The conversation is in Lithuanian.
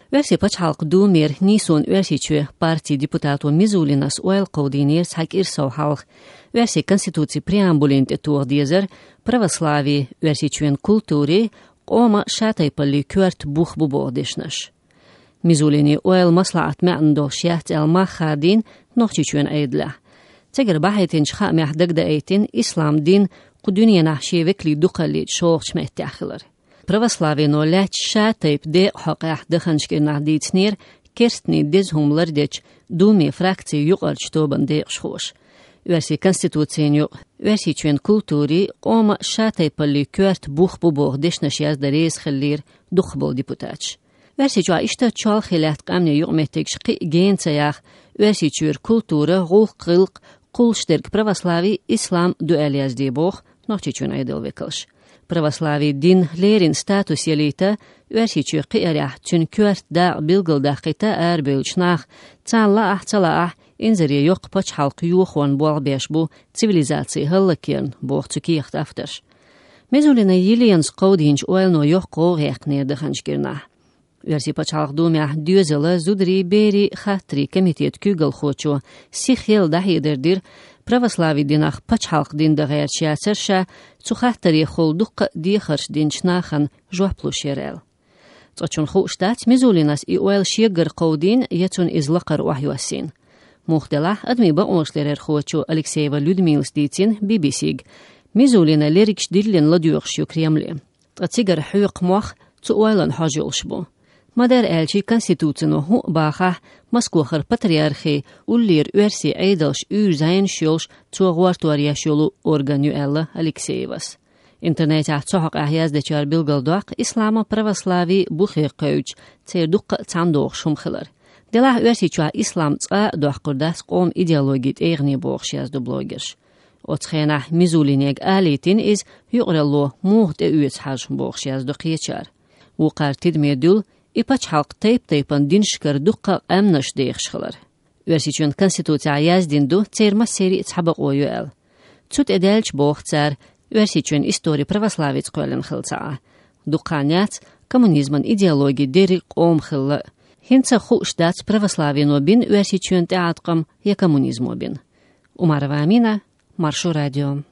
Versi pačhalq dūmir nīsun versiču partiju deputātu Mizulinas oil qaudīniers hak ir savu halq. Versi konstitūcija preambulinti tuğdiezer pravoslāvi versičuen kultūri qoma šātaipalli kört buh buboğdešnaš. Mizulini oil maslahat me'ndo šjāt el mahādin nohčičuen eidla. Tegar bahaytin şqa mehdagda eitin islam din quduniya nahşi vekli duqali şoğç mehtiaxilar. Pravoslāvino ļač šātaip de haqaq dahanškir nahdītsnir kerstni dezhumlardeč dūmi frakciju yuqarč toban de xhoş. Versi konstitūciju versičuen kultūri qoma šātaipalli kört buh buboğdešnaš yazdareiz xillir duqbol deputāč. Versičua ishta çal xilat qamne yuqmehtek şqi gensayaq versičur kultūra gulq qilq qulşterk pravoslāvi islam dualyazdi boq nohčičun aydıl vekalş. Pravoslāvi din lerin status jelīta versiču qiarah tün kört da bilgıldah qita erbölçnaq cala inzeriye yok paç halkı yuxon boğbeş bu civilizasiya hallakern boğçu kiyaxt aftaş. Mezulina yilians qaudinç oilno yok qoğeqnir dahanşkirna. Versi paç halk dumyah düzela zudri beri xatri komitet kügel xoçu sixyel dahiderdir pravoslāvi dinaq pač halq dinda gērčiācerša, cuxahtari xolduq dīxarš dinčnāxan žoplušerel. Cočun xuštāts Mizulinas I oil šiegar qaudin jecun izlaqar wahjuasin. Muxdelah admiba onšlerer xoču Alekseyeva Ludmils dīcin BBC'g. Mizulina lerikš dillin ladjuqšju Kremli. Cigar xuyq muax cu oilan hajulşbu. Madar elçi konstitūcino hu bāxah Moskvaxar patriarxi ullir versi eidalš zayn šolš cuğvartuar yaşolu organyu ella Alekseyevas. Internetā cohaq ahyazdečar bilgaldoq islama pravoslāvi buxir qauj cerduq candoq shumxilar. Delah versi çua islam qa doqurdas qom ideologit eğni boğş yazdı blogger. Otsxenah Mizulineg alitin iz yuqrallo muhte üyet haj boğş yazdı qiyeçar. Uqar tidmedul İpaç halk taypan dinşkar duqqa amnaş deyxşılar. Versiçun konstitūcija yazdindu cerma seri tsabaq oyu el. Tut edelç boğçar, versiçun istori pravoslāvits qoylan xilca. Duqqanyats kommunizman ideologi deri qom xilla. Hinca xuşdats pravoslāvino bin versiçun teatqam ya kommunizmo bin. Umarova Amina, Maršu radio.